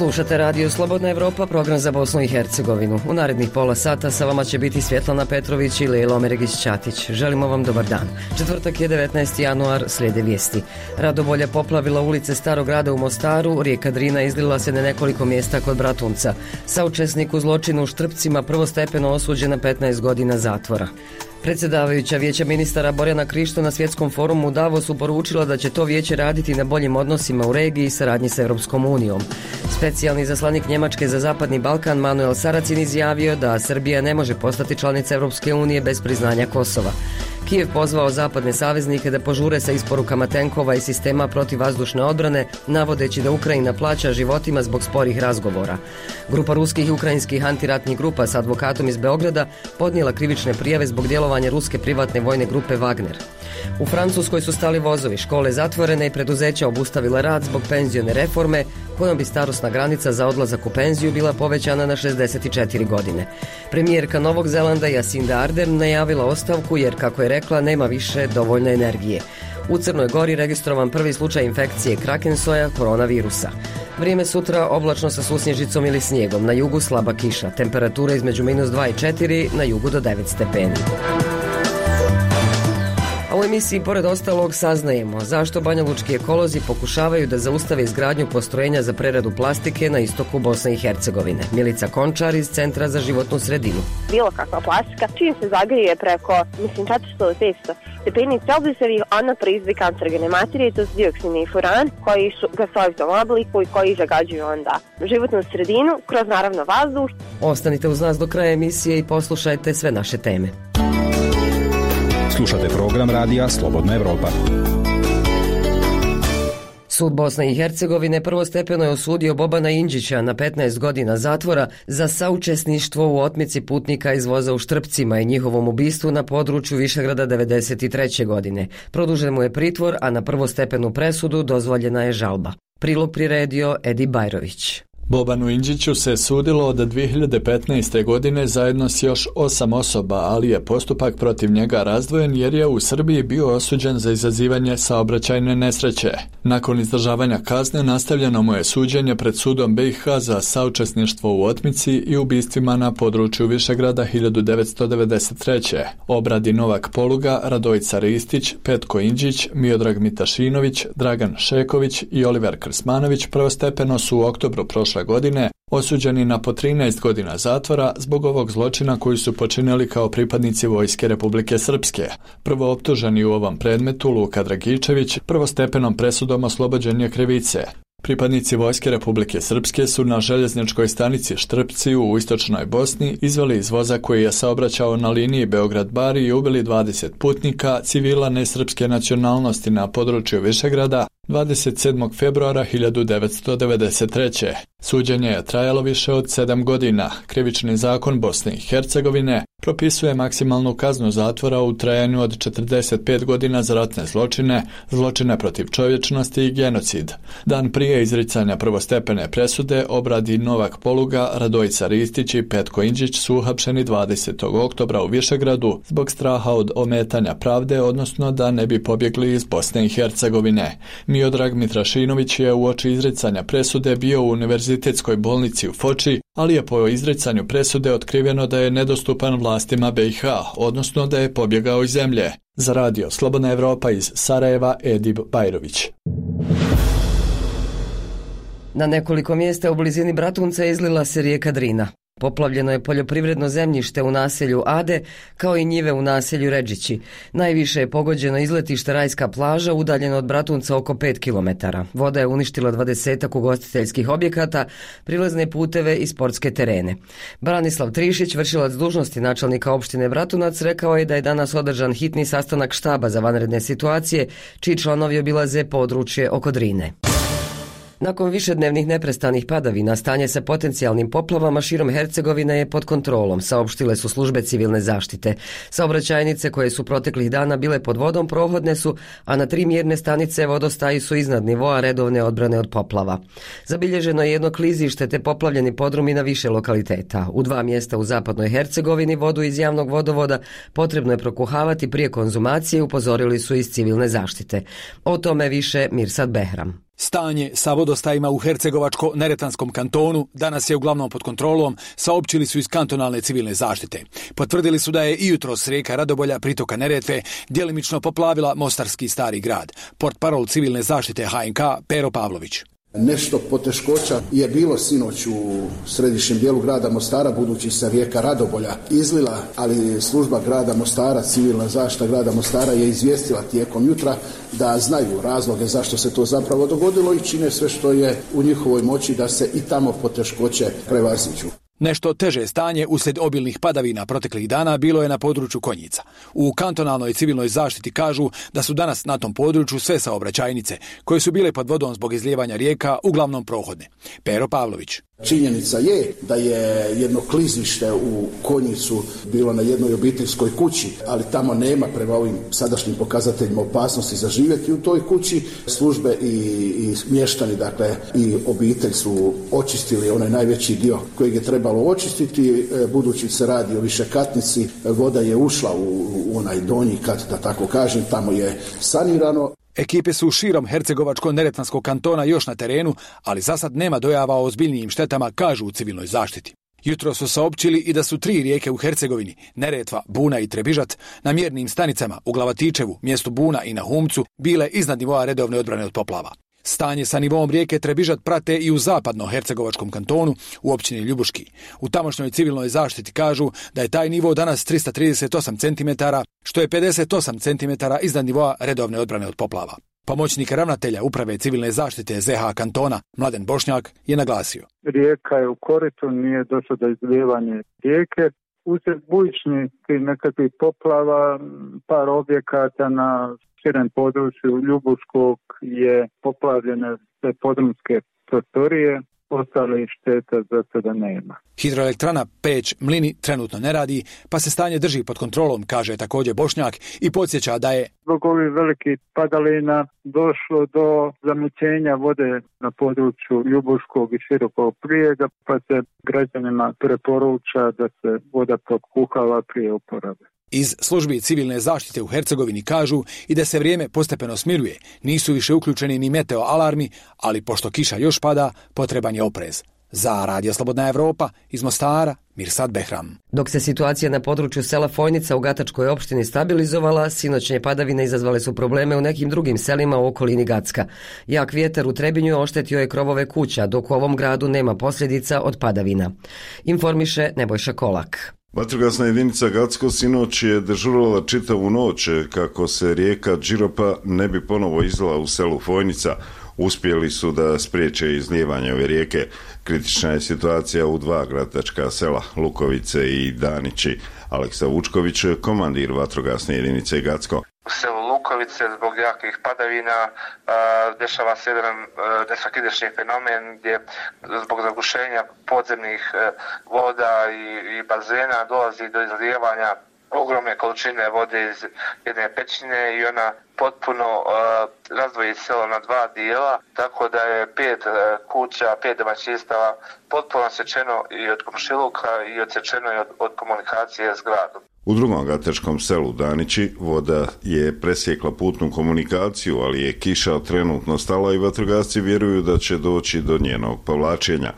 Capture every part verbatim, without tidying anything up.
Slušate Radio Slobodna Evropa, program za Bosnu i Hercegovinu. U narednih pola sata sa vama će biti Svjetlana Petrović i Lelo Meregić-Ćatić. Želimo vam dobar dan. Četvrtak je devetnaesti januar, slijede vijesti. Radobolja poplavila ulice Starog grada u Mostaru, rijeka Drina izlila se na nekoliko mjesta kod Bratunca. Saučesnik u zločinu u Štrpcima prvostepeno osuđen na petnaest godina zatvora. Predsjedavajuća Vijeća ministara Borjana Krišto na svjetskom forumu u Davosu poručila da će to vijeće raditi na boljim odnosima u regiji i saradnji s Europskom unijom. Specijalni zaslanik Njemačke za Zapadni Balkan Manuel Saracin izjavio da Srbija ne može postati članica Europske unije bez priznanja Kosova. Kijev pozvao zapadne saveznike da požure sa isporukama tenkova i sistema protivvazdušne odbrane, navodeći da Ukrajina plaća životima zbog sporih razgovora. Grupa ruskih i ukrajinskih antiratnih grupa s advokatom iz Beograda podnijela krivične prijave zbog djelovanja ruske privatne vojne grupe Wagner. U Francuskoj su stali vozovi, škole zatvorene i preduzeća obustavila rad zbog penzione reforme, kojom bi starosna granica za odlazak u penziju bila povećana na šezdeset četiri godine. Premijerka Novog Zelanda Jacinda Ardern najavila ostavku jer, kako je rekla, nema više dovoljne energije. U Crnoj Gori registrovan prvi slučaj infekcije krakensoja koronavirusa. Vrijeme sutra oblačno sa susnježicom ili snijegom, na jugu slaba kiša, temperatura između minus dva i četiri, na jugu do devet stepeni. A u emisiji pored ostalog saznajemo zašto banjalučki ekolozi pokušavaju da zaustave izgradnju postrojenja za preradu plastike na istoku Bosne i Hercegovine. Milica Končar iz Centra za životnu sredinu. Bilo kakva plastika, čim se zagrije preko, mislim, četiristo do petsto stepeni Celzijusovih, ona proizvodi kancerogene materije, to su dioksini i furan, koji su u gasovitom obliku i koji zagađuju onda životnu sredinu, kroz naravno vazduh. Ostanite uz nas do kraja emisije i poslušajte sve naše teme. Slušate program radija Slobodna Evropa. Sud Bosne i Hercegovine prvostepeno je osudio Bobana Indžića na petnaest godina zatvora za saučesništvo u otmici putnika iz voza u Štrpcima i njihovom ubistvu na području Višegrada devedeset treće godine. Produžen mu je pritvor, a na prvostepenu presudu dozvoljena je žalba. Prilog priredio Edi Bajrović. Bobanu Indžiću se sudilo od dvije hiljade petnaeste. godine zajedno s još osam osoba, ali je postupak protiv njega razdvojen jer je u Srbiji bio osuđen za izazivanje saobraćajne nesreće. Nakon izdržavanja kazne nastavljeno mu je suđenje pred sudom B i H za saučesništvo u otmici i ubistvima na području Višegrada hiljadu devetsto devedeset treće. Obradi Novak Poluga, Radojica Ristić, Petko Indžić, Miodrag Mitašinović, Dragan Šeković i Oliver Krsmanović prvostepeno su u oktobru prošle godine osuđeni na po trinaest godina zatvora zbog ovog zločina koji su počinili kao pripadnici Vojske Republike Srpske. Prvo optuženi u ovom predmetu, Luka Dragičević, prvostepenom presudom oslobođen je krivice. Pripadnici Vojske Republike Srpske su na željezničkoj stanici Štrpci u istočnoj Bosni izveli iz voza koji je saobraćao na liniji Beograd-Bari i ubili dvadeset putnika civila nesrpske nacionalnosti na području Višegrada dvadeset sedmog februara hiljadu devetsto devedeset treće. Suđenje je trajalo više od sedam godina. Krivični zakon Bosne i Hercegovine propisuje maksimalnu kaznu zatvora u trajanju od četrdeset pet godina za ratne zločine, zločine protiv čovječnosti i genocid. Dan prije izricanja prvostepene presude obradi Novak Poluga, Radojica Ristić i Petko Indžić su uhapšeni dvadesetog oktobra u Višegradu zbog straha od ometanja pravde, odnosno da ne bi pobjegli iz Bosne i Hercegovine. Miodrag Mitrašinović je uoči izricanja presude bio u univerzitetskoj bolnici u Foči, ali je po izricanju presude otkriveno da je nedostupan vlastima B i H, odnosno da je pobjegao iz zemlje. Za radio Slobodna Evropa iz Sarajeva, Edib Bajrović. Na nekoliko mjesta u blizini Bratunca izlila se rijeka Drina. Poplavljeno je poljoprivredno zemljište u naselju Ade, kao i njive u naselju Redžići. Najviše je pogođeno izletište Rajska plaža, udaljeno od Bratunca oko pet kilometara. Voda je uništila dvadesetak ugostiteljskih objekata, prilazne puteve i sportske terene. Branislav Trišić, vršilac dužnosti načelnika opštine Bratunac, rekao je da je danas održan hitni sastanak štaba za vanredne situacije, čiji članovi obilaze područje oko Drine. Nakon višednevnih neprestanih padavina, stanje sa potencijalnim poplavama širom Hercegovine je pod kontrolom, saopštile su službe civilne zaštite. Saobraćajnice koje su proteklih dana bile pod vodom prohodne su, a na tri mjerne stanice vodostaji su iznad nivoa redovne odbrane od poplava. Zabilježeno je jedno klizište te poplavljeni podrumi na više lokaliteta. U dva mjesta u zapadnoj Hercegovini vodu iz javnog vodovoda potrebno je prokuhavati prije konzumacije, upozorili su iz civilne zaštite. O tome više Mirsad Behram. Stanje sa vodostajima u Hercegovačko-Neretvanskom kantonu danas je uglavnom pod kontrolom, saopćili su iz kantonalne civilne zaštite. Potvrdili su da je i jutros rijeka Radobolja pritoka Neretve djelimično poplavila Mostarski Stari grad. Portparol civilne zaštite H N K Pero Pavlović. Nešto poteškoća je bilo sinoć u središnjem dijelu grada Mostara, budući se rijeka Radobolja izlila, ali služba grada Mostara, civilna zaštita grada Mostara je izvijestila tijekom jutra da znaju razloge zašto se to zapravo dogodilo i čine sve što je u njihovoj moći da se i tamo poteškoće prevaziđu. Nešto teže stanje uslijed obilnih padavina proteklih dana bilo je na području Konjica. U kantonalnoj civilnoj zaštiti kažu da su danas na tom području sve saobraćajnice, koje su bile pod vodom zbog izlijevanja rijeka, uglavnom prohodne. Pero Pavlović. Činjenica je da je jedno klizište u Konjicu bilo na jednoj obiteljskoj kući, ali tamo nema prema ovim sadašnjim pokazateljima opasnosti za živjeti u toj kući. Službe i, i mještani, dakle i obitelj su očistili onaj najveći dio kojeg je trebalo očistiti, budući se radi o višekatnici, voda je ušla u, u onaj donji kat, da tako kažem, tamo je sanirano. Ekipe su širom Hercegovačko-Neretvanskog kantona još na terenu, ali zasad nema dojava o ozbiljnijim štetama, kažu u civilnoj zaštiti. Jutro su saopćili i da su tri rijeke u Hercegovini, Neretva, Buna i Trebižat, na mjernim stanicama u Glavatičevu, mjestu Buna i na Humcu, bile iznad nivoa redovne odbrane od poplava. Stanje sa nivom rijeke Trebižat prate i u zapadno-hercegovačkom kantonu u općini Ljubuški. U tamošnjoj civilnoj zaštiti kažu da je taj nivo danas tristo trideset osam centimetara, što je pedeset osam centimetara iznad nivoa redovne odbrane od poplava. Pomoćnik ravnatelja uprave civilne zaštite Z H kantona Mladen Bošnjak je naglasio. Rijeka je u koritu, nije došlo do izlijevanja rijeke. Usred bujičnih i nekakvih poplava, par objekata na širem području Ljubuškog je poplavljene sve podrumske prostorije, ostale šteta za sada nema. Hidroelektrana Peć Mlini trenutno ne radi, pa se stanje drži pod kontrolom, kaže također Bošnjak i podsjeća da je zbog ovih velikih padalina došlo do zamućenja vode na području Ljubuškog i Širokog Prijega, pa se građanima preporuča da se voda prokuhava prije uporabe. Iz službi civilne zaštite u Hercegovini kažu i da se vrijeme postepeno smiruje, nisu više uključeni ni meteo alarmi, ali pošto kiša još pada, potreban je oprez. Za Radio Slobodna Evropa, iz Mostara, Mirsad Behram. Dok se situacija na području sela Fojnica u Gatačkoj opštini stabilizovala, sinoćnje padavine izazvale su probleme u nekim drugim selima u okolini Gacka. Jak vjetar u Trebinju oštetio je krovove kuća, dok u ovom gradu nema posljedica od padavina. Informiše Nebojša Kolak. Vatrogasna jedinica Gacko sinoć je dežurala čitavu noć kako se rijeka Điropa ne bi ponovo izlila u selu Fojnica. Uspjeli su da spriječe izlijevanje ove rijeke. Kritična je situacija u dva gradačka sela, Lukovice i Danići. Aleksa Vučković, komandir vatrogasne jedinice Gacko. U selu Lukovice zbog jakih padavina a, dešava se jedan nesvakidašnji fenomen gdje zbog zagušenja podzemnih a, voda i, i bazena dolazi do izlijevanja ogromne količine vode iz jedne pećine i ona potpuno uh, razdvoji selo na dva dijela, tako da je pet uh, kuća, pet domaćinstava potpuno odsečeno i od komšiluka i odsečeno i od, od komunikacije s gradom. U drugom gatačkom selu Danići voda je presjekla putnu komunikaciju, ali je kiša trenutno stala i vatrogasci vjeruju da će doći do njenog povlačenja.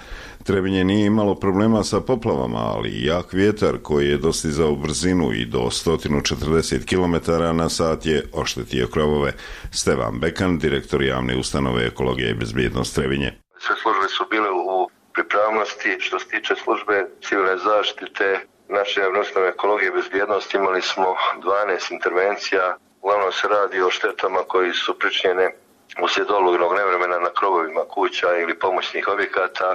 Trebinje nije imalo problema sa poplavama, ali jak vjetar koji je dostizao brzinu i do sto četrdeset kilometara na sat je oštetio krovove. Stevan Bekan, direktor javne ustanove Ekologija i bezbjednost Trebinje. Sve službe su bile u pripravnosti. Što se tiče službe civilne zaštite, naše javne ustanove Ekologije i bezbjednosti imali smo dvanaest intervencija. Uglavnom se radi o štetama koji su pričinjene uslijed olujnog nevremena na krovovima kuća ili pomoćnih objekata.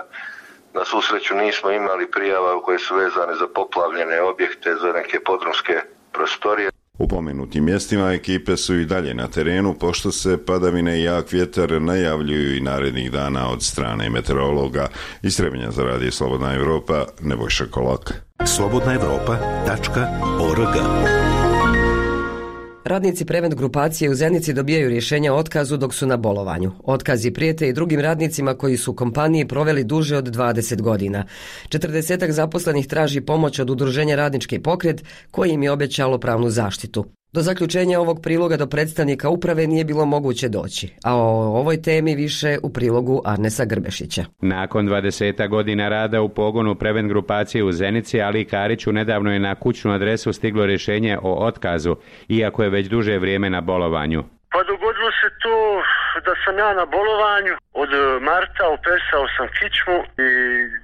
Na svu sreću nismo imali prijava koje su vezane za poplavljene objekte, za neke podrumske prostorije. U pomenutim mjestima ekipe su i dalje na terenu, pošto se padavine i jak vjetar najavljuju i narednih dana od strane meteorologa. Iz Trebinja za Radio Slobodna Evropa, Nebojša Kolak. slobodna evropa tačka org. Radnici Prevent grupacije u Zenici dobijaju rješenja o otkazu dok su na bolovanju. Otkazi prijete i drugim radnicima koji su u kompaniji proveli duže od dvadeset godina. četrdesetak zaposlenih traži pomoć od udruženja Radnički pokret koji im je obećalo pravnu zaštitu. Do zaključenja ovog priloga do predstavnika uprave nije bilo moguće doći, a o ovoj temi više u prilogu Arnesa Grbešića. Nakon dvadeset godina rada u pogonu Prevent grupacije u Zenici, Ali Kariću nedavno je na kućnu adresu stiglo rješenje o otkazu, iako je već duže vrijeme na bolovanju. Pa dogodilo se to da sam ja na bolovanju, od marta upesao sam kičmu i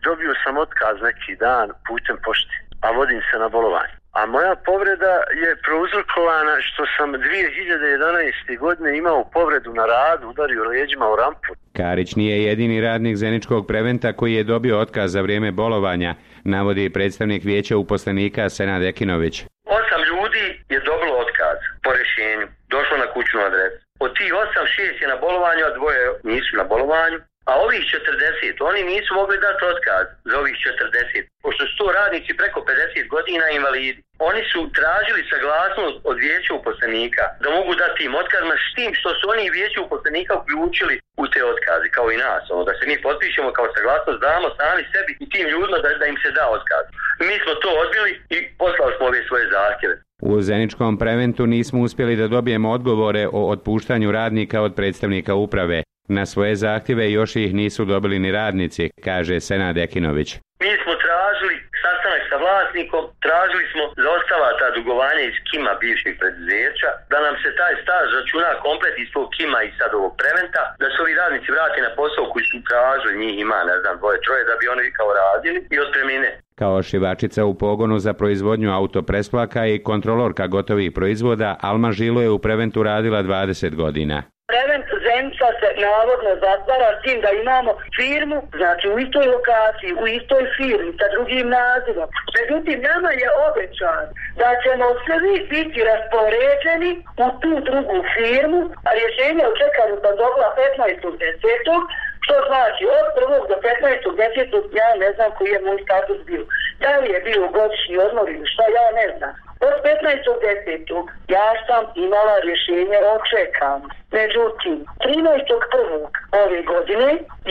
dobio sam otkaz neki dan putem pošte, a vodim se na bolovanju. A moja povreda je prouzrokovana što sam dvije hiljade jedanaeste. godine imao povredu na radu, udario leđima u rampu. Karić nije jedini radnik Zeničkog Preventa koji je dobio otkaz za vrijeme bolovanja, navodi predstavnik vijeća uposlenika Senad Ekinović. Osam ljudi je dobilo otkaz po rješenju, došlo na kućnu adresu. Od tih osam, šest je na bolovanju, a dvoje nisu na bolovanju. A ovih četrdeset, oni nisu mogli dati otkaz za ovih četrdeset, pošto su to radnici preko pedeset godina invalidi. Oni su tražili saglasnost od vijeća uposlenika da mogu dati im otkaz, s tim što su oni vijeća uposlenika uključili u te otkaze, kao i nas, ono, da se mi potpišemo kao saglasnost, damo sami sebi i tim ljudima da, da im se da otkaz. Mi smo to odbili i poslali smo ove svoje zahtjeve. U Zeničkom Preventu nismo uspjeli da dobijemo odgovore o otpuštanju radnika od predstavnika uprave. Na svoje zahtjeve još ih nisu dobili ni radnici, kaže Senad Ekinović. Mi smo tražili sastanak sa vlasnikom, tražili smo za ostala ta dugovanja iz Kima bivšeg preduzeća, da nam se taj staž računa komplet iz tog Kima i sad ovog Preventa, da se ovi radnici vrati na posao koji su tražili, njih ima, ne znam, dvoje, troje, da bi oni kao radili i otpremnine. Kao šivačica u pogonu za proizvodnju autopresplaka i kontrolorka gotovih proizvoda, Alma Žilo je u Preventu radila dvadeset godina. Prevent Zenica se navodno zatvara s tim da imamo firmu, znači u istoj lokaciji, u istoj firmi, sa drugim nazivom. Međutim, nama je obećan da ćemo svi biti raspoređeni u tu drugu firmu, a rješenje u čekanju sam dobila petnaestog desetog što znači od prvog do petnaestog desetog ja ne znam koji je moj status bio. Da li je bio godišnji odmor ili šta, ja ne znam. Od petnaestog desetog ja sam imala rješenje o čekanju. Međutim, trinaestog prvog ove godine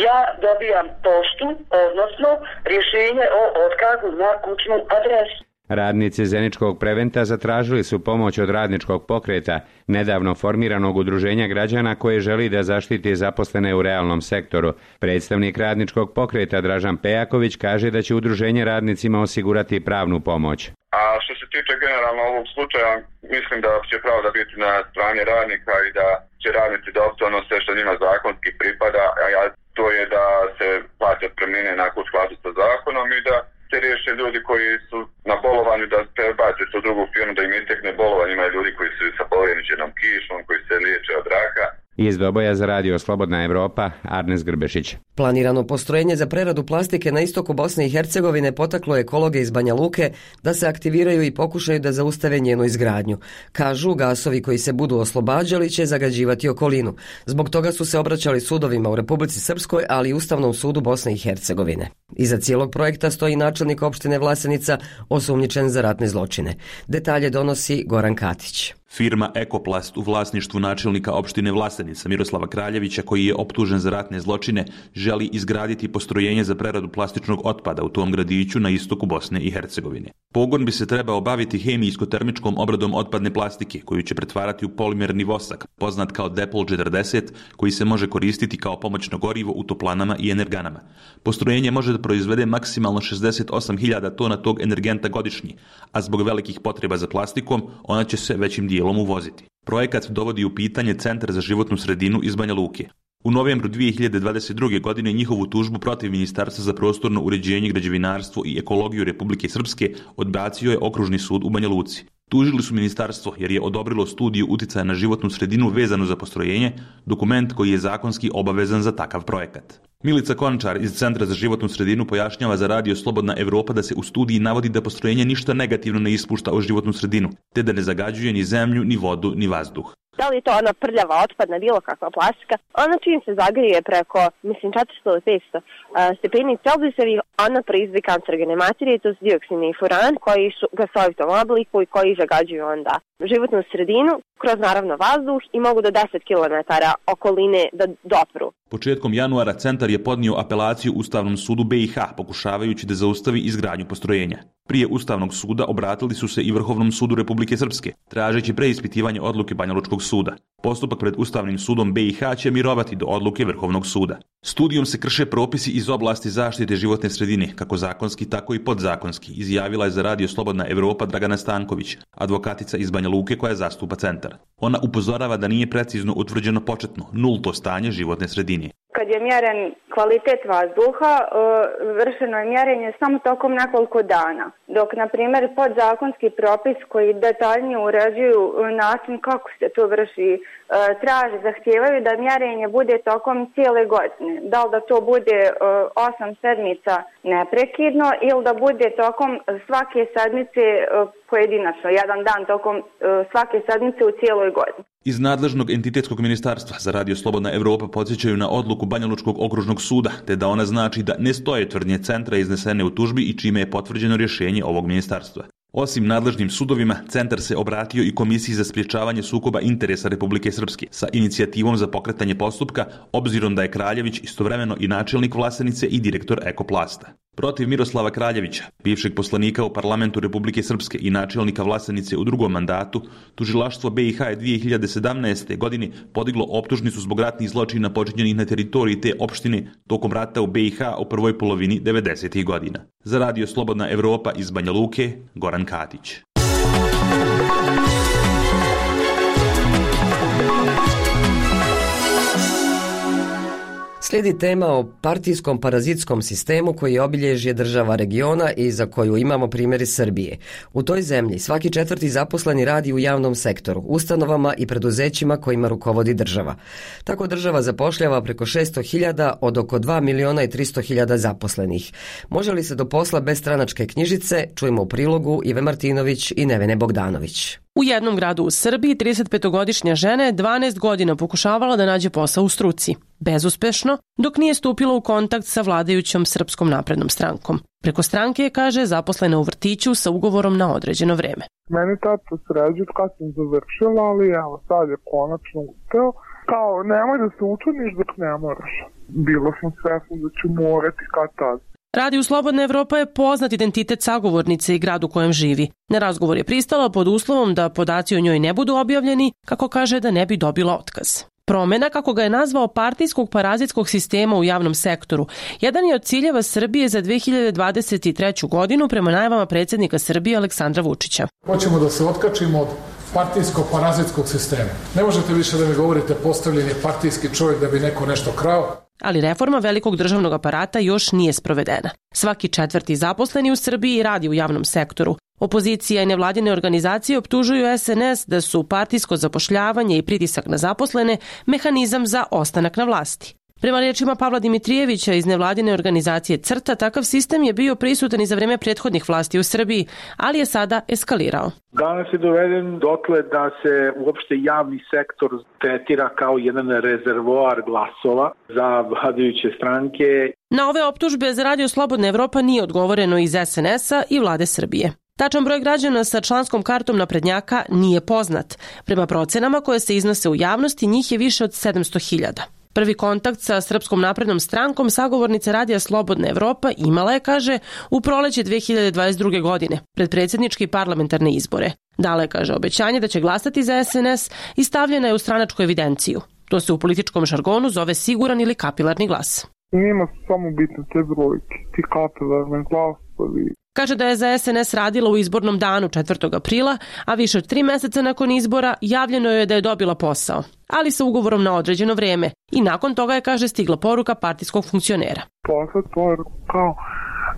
ja dobijam poštu, odnosno rješenje o otkazu na kućnu adresu. Radnici Zeničkog Preventa zatražili su pomoć od Radničkog pokreta, nedavno formiranog udruženja građana koje želi da zaštiti zaposlene u realnom sektoru. Predstavnik Radničkog pokreta Dražan Pejaković kaže da će udruženje radnicima osigurati pravnu pomoć. A što se tiče generalno ovog slučaja, mislim da će pravda biti na strani radnika i da će radnici dobiti ono sve što njima zakonski pripada, a to je da se plate otpremnine onako u skladu sa zakonom i da se riješe ljudi koji su na bolovanju, da se baci u drugu firmu, da im istekne bolovanje. Ima ljudi koji su sa boleničenom kišom, koji se liječe od raka. Iz Doboja za radio Slobodna Evropa, Arnes Grbešić. Planirano postrojenje za preradu plastike na istoku Bosne i Hercegovine potaklo ekologe iz Banja Luke da se aktiviraju i pokušaju da zaustave njenu izgradnju. Kažu, gasovi koji se budu oslobađali će zagađivati okolinu. Zbog toga su se obraćali sudovima u Republici Srpskoj, ali i Ustavnom sudu Bosne i Hercegovine. Iza cijelog projekta stoji načelnik opštine Vlasenica, osumnjičen za ratne zločine. Detalje donosi Goran Katić. Firma Ekoplast u vlasništvu načelnika opštine Vlasenica Miroslava Kraljevića, koji je optužen za ratne zločine, želi izgraditi postrojenje za preradu plastičnog otpada u tom gradiću na istoku Bosne i Hercegovine. Pogon bi se trebao baviti hemijsko-termičkom obradom otpadne plastike, koju će pretvarati u polimerni vosak, poznat kao Depol četrdeset, koji se može koristiti kao pomoćno gorivo u toplanama i energanama. Postrojenje može da proizvede maksimalno šezdeset osam hiljada tona tog energenta godišnje, a zbog velikih potreba za plastikom, ona će se većim dijelom uvoziti. Projekat dovodi u pitanje Centar za životnu sredinu iz Banja Luke. U novembru dvije hiljade dvadeset druge. godine njihovu tužbu protiv Ministarstva za prostorno uređenje, građevinarstvo i ekologiju Republike Srpske odbacio je Okružni sud u Banja Luci. Tužili su ministarstvo jer je odobrilo studiju uticaja na životnu sredinu vezanu za postrojenje, dokument koji je zakonski obavezan za takav projekat. Milica Končar iz Centra za životnu sredinu pojašnjava za radio Slobodna Evropa da se u studiji navodi da postrojenje ništa negativno ne ispušta u životnu sredinu, te da ne zagađuje ni zemlju, ni vodu, ni vazduh. Da li je to ona prljava, otpadna, bilo kakva plastika, ona čim se zagrije preko, mislim, četiristo do petsto uh, stepeni Celzijusovih, ona proizvodi kancerogene materije, to su dioksin i furan, koji su gasovito obliku i koji zagađuju onda životnu sredinu kroz naravno vazduh i mogu do deset kilometara okoline da dopru. Početkom januara centar je podnio apelaciju Ustavnom sudu B i H, pokušavajući da zaustavi izgradnju postrojenja. Prije Ustavnog suda obratili su se i Vrhovnom sudu Republike Srpske, tražeći preispitivanje odluke Banjalučkog suda. Postupak pred Ustavnim sudom B i H će mirovati do odluke Vrhovnog suda. Studijom se krše propisi iz oblasti zaštite životne sredine, kako zakonski, tako i podzakonski, izjavila je za Radio Slobodna Evropa Dragana Stanković, advokatica iz Banja Luke koja zastupa centar. Ona upozorava da nije precizno utvrđeno početno, nulto stanje životne sredine. Kad je mjeren kvalitet vazduha, vršeno je mjerenje samo tokom nekoliko dana. Dok, na primjer, podzakonski propis koji detaljnije uređuju način kako se to vrši, traže, zahtijevaju da mjerenje bude tokom cijele godine. Da li da to bude osam sedmica neprekidno ili da bude tokom svake sedmice pojedinačno, jedan dan tokom svake sedmice u cijeloj godini. Iz nadležnog entitetskog ministarstva za Radio Slobodna Evropa podsjećaju na odluku Banjalučkog okružnog suda, te da ona znači da ne stoje tvrdnje centra iznesene u tužbi i čime je potvrđeno rješenje ovog ministarstva. Osim nadležnim sudovima, centar se obratio i Komisiji za sprječavanje sukoba interesa Republike Srpske sa inicijativom za pokretanje postupka, obzirom da je Kraljević istovremeno i načelnik Vlasenice i direktor Ekoplasta. Protiv Miroslava Kraljevića, bivšeg poslanika u parlamentu Republike Srpske i načelnika Vlasenice u drugom mandatu, tužilaštvo B i H je dvije hiljade sedamnaeste. godine podiglo optužnicu zbog ratnih zločina počinjenih na teritoriji te opštine tokom rata u B i H u prvoj polovini devedesetih godina. Za Radio Slobodna Evropa iz Banja Luke, Goran Katić. Slijedi tema o partijskom parazitskom sistemu koji je obilježje država regiona i za koju imamo primjer iz Srbije. U toj zemlji svaki četvrti zaposleni radi u javnom sektoru, ustanovama i preduzećima kojima rukovodi država. Tako država zapošljava preko šesto hiljada od oko dva miliona i tristo hiljada zaposlenih. Može li se do posla bez stranačke knjižice? Čujemo u prilogu Ive Martinović i Nevene Bogdanović. U jednom gradu u Srbiji tridesetpetogodišnja žena je dvanaest godina pokušavala da nađe posao u struci. Bezuspešno, dok nije stupila u kontakt sa vladajućom Srpskom naprednom strankom. Preko stranke je, kaže, zaposlena u vrtiću sa ugovorom na određeno vreme. Meni tato sređu kad sam završila, ali evo sad je konačno uspeo. Kao, nemoj da se učiniš dok ne moraš. Bilo sam svesna da ću morati kad tad. Radio Slobodna Evropa je poznat identitet sagovornice i grad u kojem živi. Na razgovor je pristala pod uslovom da podaci o njoj ne budu objavljeni, kako kaže da ne bi dobila otkaz. Promjena, kako ga je nazvao, partijskog parazitskog sistema u javnom sektoru, jedan je od ciljeva Srbije za dve hiljade dvadeset treću. godinu prema najavama predsjednika Srbije Aleksandra Vučića. Hoćemo da se otkačimo od partijskog parazitskog sistema. Ne možete više da mi govorite postavljen je partijski čovjek da bi neko nešto krao. Ali reforma velikog državnog aparata još nije sprovedena. Svaki četvrti zaposleni u Srbiji radi u javnom sektoru. Opozicija i nevladine organizacije optužuju S N S da su partijsko zapošljavanje i pritisak na zaposlene mehanizam za ostanak na vlasti. Prema riječima Pavla Dimitrijevića iz nevladine organizacije CRTA, takav sistem je bio prisutan i za vrijeme prethodnih vlasti u Srbiji, ali je sada eskalirao. Danas je doveden dotle da se uopšte javni sektor tretira kao jedan rezervoar glasova za vladajuće stranke. Na ove optužbe za Radio Slobodna Evropa nije odgovoreno iz S N S-a i vlade Srbije. Tačan broj građana sa članskom kartom naprednjaka nije poznat. Prema procenama koje se iznose u javnosti, njih je više od sedamsto hiljada. Prvi kontakt sa Srpskom naprednom strankom sagovornica Radija Slobodna Evropa imala je, kaže, u proleće dve hiljade dvadeset druge. godine, pred predsjedničke i parlamentarne izbore. Dala je, kaže, obećanje da će glasati za S N S i stavljena je u stranačku evidenciju. To se u političkom žargonu zove siguran ili kapilarni glas. Njima su samo bitne te brojke, ti kapilarni glasovi. Kaže da je za S N S radila u izbornom danu četvrtog aprila, a više od tri mjeseca nakon izbora javljeno je da je dobila posao, ali sa ugovorom na određeno vrijeme. I nakon toga je, kaže, stigla poruka partijskog funkcionera. Posle poruka kao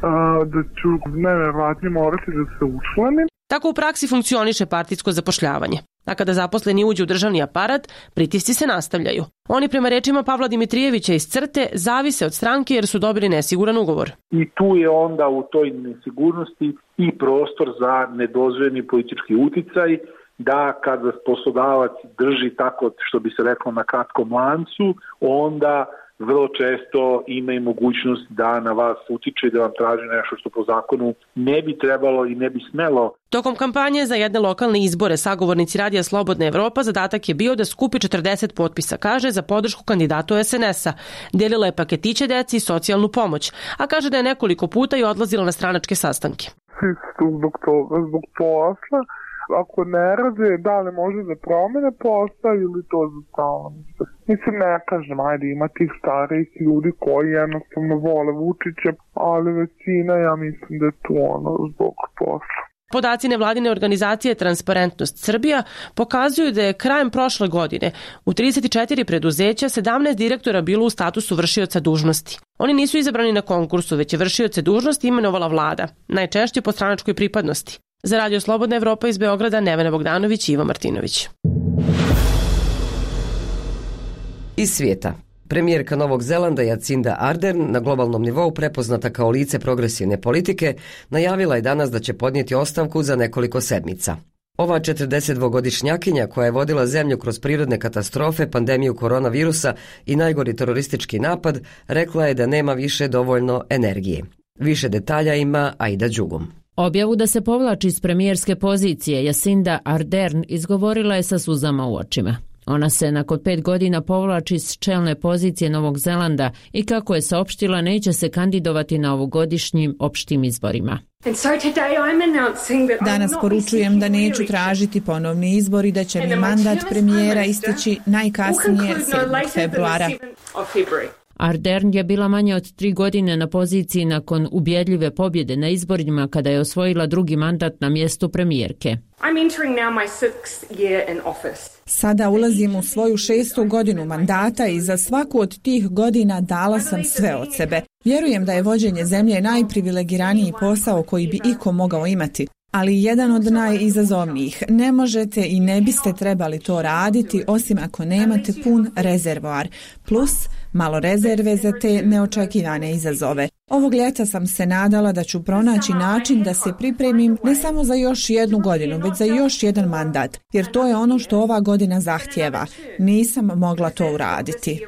a, da ću nevjerovatno morati da se učlanim. Tako u praksi funkcioniše partijsko zapošljavanje. A kada zaposleni uđu u državni aparat, pritisci se nastavljaju. Oni, prema rečima Pavla Dimitrijevića iz CRTE, zavise od stranke jer su dobili nesiguran ugovor. I tu je onda u toj nesigurnosti i prostor za nedozvoljeni politički uticaj, da kada poslodavac drži tako, što bi se reklo, na kratkom lancu, onda vrlo često ima i mogućnost da na vas utiče i da vam traži nešto što po zakonu ne bi trebalo i ne bi smelo. Tokom kampanje za jedne lokalne izbore sagovornici Radija Slobodna Evropa zadatak je bio da skupi četrdeset potpisa, kaže, za podršku kandidatu es en es a. Delila je paketiće deci i socijalnu pomoć, a kaže da je nekoliko puta i odlazila na stranačke sastanke. Svi su zbog toga, zbog posla. Ako ne rade, da li može da promene posao ili to za stalno. Mislim, ne kažem, ajde, ima tih starijih ljudi koji jednostavno vole Vučića, ali većina, ja mislim da je to ono zbog posla. Podaci nevladine organizacije Transparentnost Srbija pokazuju da je krajem prošle godine u trideset četiri preduzeća sedamnaest direktora bilo u statusu vršioca dužnosti. Oni nisu izabrani na konkursu, već je vršioce dužnosti imenovala vlada, najčešće po stranačkoj pripadnosti. Za Radio Slobodna Evropa iz Beograda, Nevena Bogdanović i Ivo Martinović. Iz svijeta. Premijerka Novog Zelanda Jacinda Ardern, na globalnom nivou prepoznata kao lice progresivne politike, najavila je danas da će podnijeti ostavku za nekoliko sedmica. Ova četrdesetdvogodišnjakinja koja je vodila zemlju kroz prirodne katastrofe, pandemiju koronavirusa i najgori teroristički napad, rekla je da nema više dovoljno energije. Više detalja ima Aida Đugum. Objavu da se povlači iz premijerske pozicije Jacinda Ardern izgovorila je sa suzama u očima. Ona se nakon pet godina povlači s čelne pozicije Novog Zelanda i, kako je saopštila, neće se kandidovati na ovogodišnjim opštim izborima. Danas poručujem da neću tražiti ponovni izbor i da će mi mandat premijera isteći najkasnije sedmog februara. Ardern je bila manje od tri godine na poziciji nakon ubjedljive pobjede na izborima kada je osvojila drugi mandat na mjestu premijerke. Sada ulazim u svoju šestu godinu mandata i za svaku od tih godina dala sam sve od sebe. Vjerujem da je vođenje zemlje najprivilegiraniji posao koji bi iko mogao imati, ali jedan od najizazovnijih. Ne možete i ne biste trebali to raditi osim ako nemate pun rezervoar, plus malo rezerve za te neočekivane izazove. Ovog ljeta sam se nadala da ću pronaći način da se pripremim ne samo za još jednu godinu, već za još jedan mandat, jer to je ono što ova godina zahtijeva. Nisam mogla to uraditi.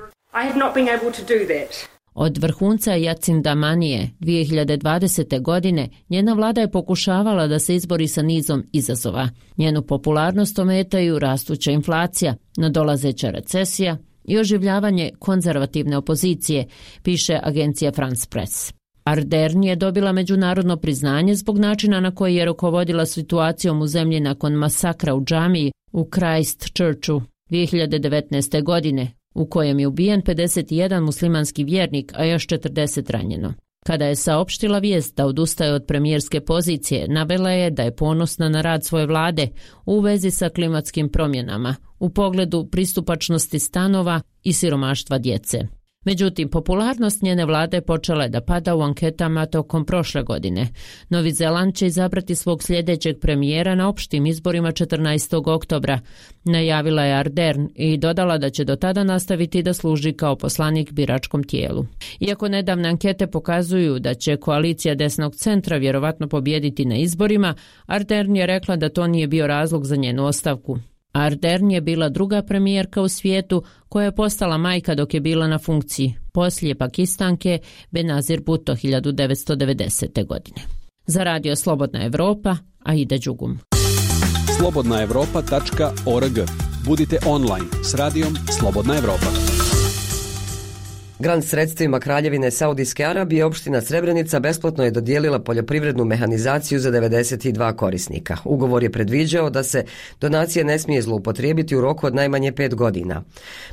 Od vrhunca Jacinda Manije dvije hiljade dvadesete. godine njena vlada je pokušavala da se izbori sa nizom izazova. Njenu popularnost ometaju rastuća inflacija, nadolazeća recesija i oživljavanje konzervativne opozicije, piše agencija France Press. Ardern je dobila međunarodno priznanje zbog načina na koji je rukovodila situacijom u zemlji nakon masakra u džamiji u Christchurchu dvije hiljade devetnaeste. godine, u kojem je ubijen pedeset jedan muslimanski vjernik, a još četrdeset ranjeno. Kada je saopštila vijest da odustaje od premijerske pozicije, navela je da je ponosna na rad svoje vlade u vezi sa klimatskim promjenama, u pogledu pristupačnosti stanova i siromaštva djece. Međutim, popularnost njene vlade počela je da pada u anketama tokom prošle godine. Novi Zeland će izabrati svog sljedećeg premijera na opštim izborima četrnaestog oktobra, najavila je Ardern i dodala da će do tada nastaviti da služi kao poslanik biračkom tijelu. Iako nedavne ankete pokazuju da će koalicija desnog centra vjerovatno pobijediti na izborima, Ardern je rekla da to nije bio razlog za njenu ostavku. Ardern je bila druga premijerka u svijetu koja je postala majka dok je bila na funkciji, poslije Pakistanke Benazir Bhutto hiljadu devetsto devedesete. godine. Za Radio Slobodna Evropa, Aida Đugum. slobodna evropa tačka org. Budite online s Radijom Slobodna Evropa. Grant sredstvima Kraljevine Saudijske Arabije opština Srebrenica besplatno je dodijelila poljoprivrednu mehanizaciju za devedeset dva korisnika. Ugovor je predviđao da se donacije ne smije zloupotrijebiti u roku od najmanje pet godina.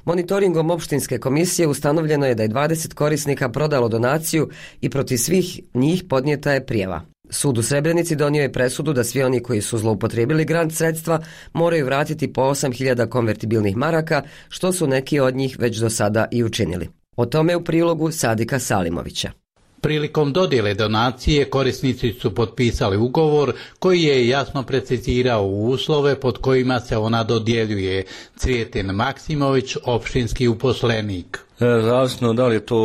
Monitoringom opštinske komisije ustanovljeno je da je dvadeset korisnika prodalo donaciju i protiv svih njih podnijeta je prijava. Sud u Srebrenici donio je presudu da svi oni koji su zloupotrijebili grant sredstva moraju vratiti po osam hiljada konvertibilnih maraka, što su neki od njih već do sada i učinili. O tome u prilogu Sadika Salimovića. Prilikom dodjele donacije korisnici su potpisali ugovor koji je jasno precizirao uslove pod kojima se ona dodjeljuje. Cvijetin Maksimović, opštinski uposlenik. zavisno da li je to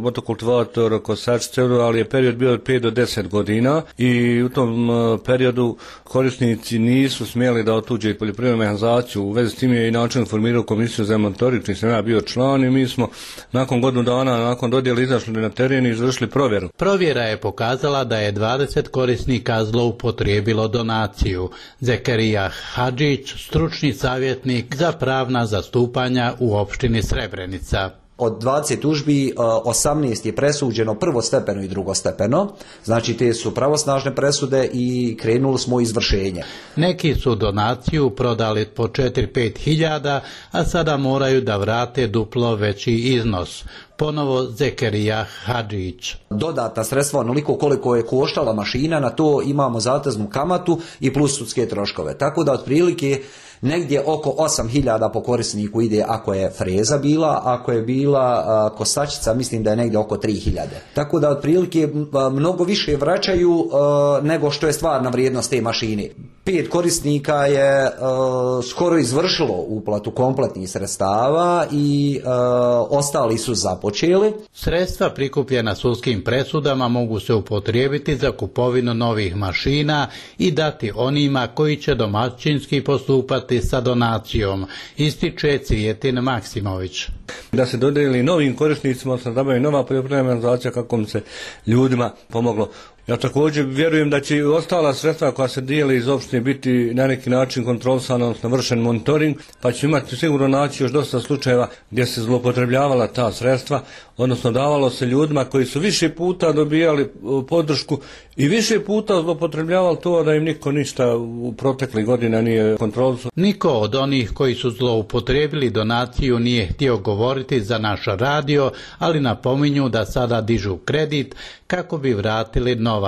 motokultivator, kosačice, ali je period bio od pet do deset godina i u tom periodu korisnici nisu smjeli da otuđe poljoprivrednu mehanizaciju. U vezi s tim je i način formirao komisiju za monitoring, čiji sam ja bio član i mi smo nakon godinu dana, nakon dodjela izašli na teren i izvršili provjeru. Provjera je pokazala da je dvadeset korisnika zloupotrijebilo donaciju. Zekerija Hadžić, stručni savjetnik za pravna zastupanja u opštini Srebrenica. Od dvadeset tužbi osamnaest je presuđeno prvostepeno i drugostepeno, znači te su pravosnažne presude i krenuli smo u izvršenje. Neki su donaciju prodali po četiri do pet hiljada, a sada moraju da vrate duplo veći iznos. Ponovo Zekerija Hadžić. Dodatna sredstva onoliko koliko je koštala mašina, na to imamo zateznu kamatu i plus sudske troškove. Tako da otprilike negdje oko osam hiljada po korisniku ide ako je freza bila, ako je bila a, kosačica mislim da je negdje oko tri hiljade. Tako da otprilike a, mnogo više vraćaju a, nego što je stvarna vrijednost te mašine. Pet korisnika je a, skoro izvršilo uplatu kompletnih sredstava i a, ostali su započeli. Sredstva prikupljena sudskim presudama mogu se upotrijebiti za kupovinu novih mašina i dati onima koji će domaćinski postupati sa donacijom, ističe Cvijetin Maksimović. Da se dodijeli novim korisnicima, se nabavi nova poljoprivredna mehanizacija kako bi se ljudima pomoglo. Ja također vjerujem da će i ostala sredstva koja se dijeli iz opštine biti na neki način kontrolisana, odnosno vršen monitoring, pa će imati sigurno naći još dosta slučajeva gdje se zloupotrebljavala ta sredstva, odnosno davalo se ljudima koji su više puta dobijali podršku i više puta zloupotrebljavali to da im niko ništa u proteklih godina nije kontrolisao. Niko od onih koji su zloupotrebili donaciju nije htio govoriti za naš radio, ali napominju da sada dižu kredit kako bi vratili novac.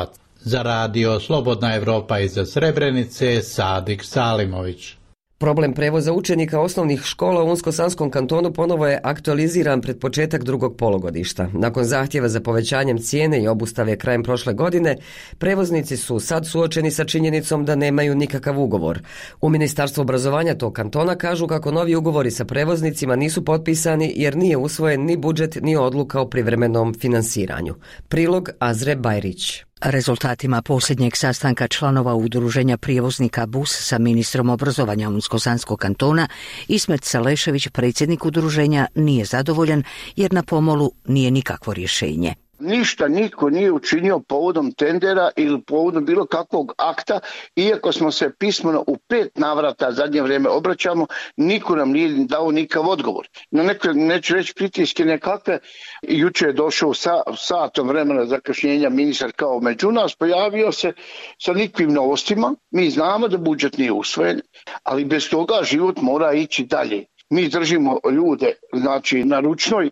Za radio Slobodna Evropa iz Srebrenice, Sadik Salimović. Problem prevoza učenika osnovnih škola u Unsko-Sanskom kantonu ponovo je aktualiziran pred početak drugog polugodišta. Nakon zahtjeva za povećanjem cijene i obustave krajem prošle godine, prevoznici su sad suočeni sa činjenicom da nemaju nikakav ugovor. U Ministarstvu obrazovanja tog kantona kažu kako novi ugovori sa prevoznicima nisu potpisani jer nije usvojen ni budžet ni odluka o privremenom finansiranju. Prilog Azre Bajrić. Rezultatima posljednjeg sastanka članova udruženja prijevoznika bus sa ministrom obrazovanja Unsko-Sanskog kantona, Ismet Salešević, predsjednik udruženja, nije zadovoljan jer na pomolu nije nikakvo rješenje. Ništa niko nije učinio povodom tendera ili povodom bilo kakvog akta, iako smo se pismeno u pet navrata zadnje vrijeme obraćamo, niko nam nije dao nikav odgovor. Na neke, neću reći pritiske nekakve, juče je došao sa satom vremena zakašnjenja ministar kao među nas, pojavio se sa nikvim novostima, mi znamo da budžet nije usvojen, ali bez toga život mora ići dalje. Mi držimo ljude, znači na ručnoj,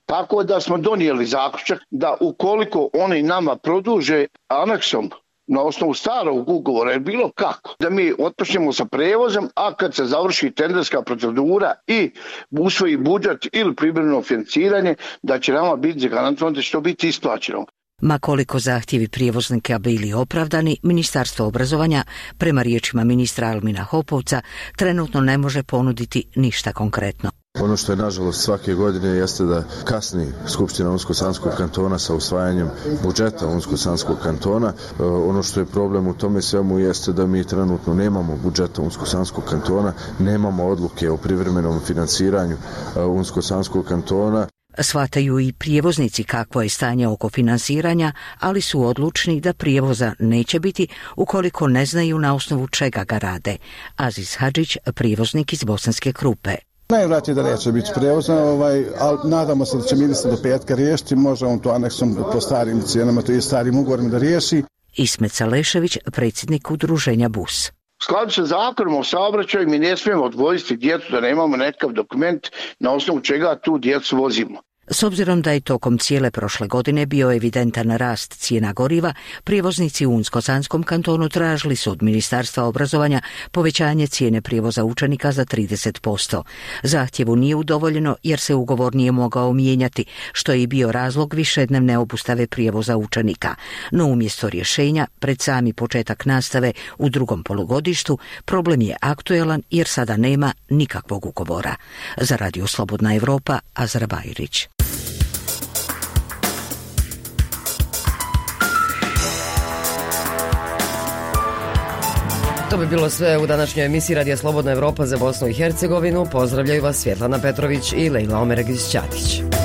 tako da smo donijeli zaključak da ukoliko oni nama produže aneksom na osnovu starog ugovora, jer bilo kako, da mi otpočnemo sa prevozom, a kad se završi tenderska procedura i usvoji budžet ili privremeno financiranje, da će nama biti zagarantovano da će to biti isplaćeno. Ma koliko zahtjevi prijevoznika bili opravdani, Ministarstvo obrazovanja, prema riječima ministra Almina Hopovca, trenutno ne može ponuditi ništa konkretno. Ono što je nažalost svake godine jeste da kasni Skupština Unsko-Sanskog kantona sa usvajanjem budžeta Unsko-Sanskog kantona. Ono što je problem u tome svemu jeste da mi trenutno nemamo budžeta Unsko-Sanskog kantona, nemamo odluke o privremenom finansiranju Unsko-Sanskog kantona. Shvataju i prijevoznici kakvo je stanje oko finansiranja, ali su odlučni da prijevoza neće biti ukoliko ne znaju na osnovu čega ga rade. Aziz Hadžić, prijevoznik iz Bosanske Krupe. Najvratnije da neće biti prevozna, ovaj, ali nadamo se da će ministar do petka riješiti, može on to aneksom po starim cijenama, to je starim ugovorima da riješi. Ismet Salešević, predsjednik udruženja bus. U skladu sa zakonom o saobraćaju mi ne smijemo odvojiti djecu da nemamo nekakav dokument na osnovu čega tu djecu vozimo. S obzirom da je tokom cijele prošle godine bio evidentan rast cijena goriva, prijevoznici u Unsko-Sanskom kantonu tražili su od Ministarstva obrazovanja povećanje cijene prijevoza učenika za trideset posto. Zahtjevu nije udovoljeno jer se ugovor nije mogao mijenjati, što je i bio razlog višednevne obustave prijevoza učenika. No umjesto rješenja, pred sami početak nastave u drugom polugodištu, problem je aktuelan jer sada nema nikakvog ugovora. Za Radio Slobodna Evropa, Azra Bajrić. To bi bilo sve u današnjoj emisiji Radija Slobodna Evropa za Bosnu i Hercegovinu. Pozdravljaju vas Svjetlana Petrović i Lejla Omeregić-Ćatić.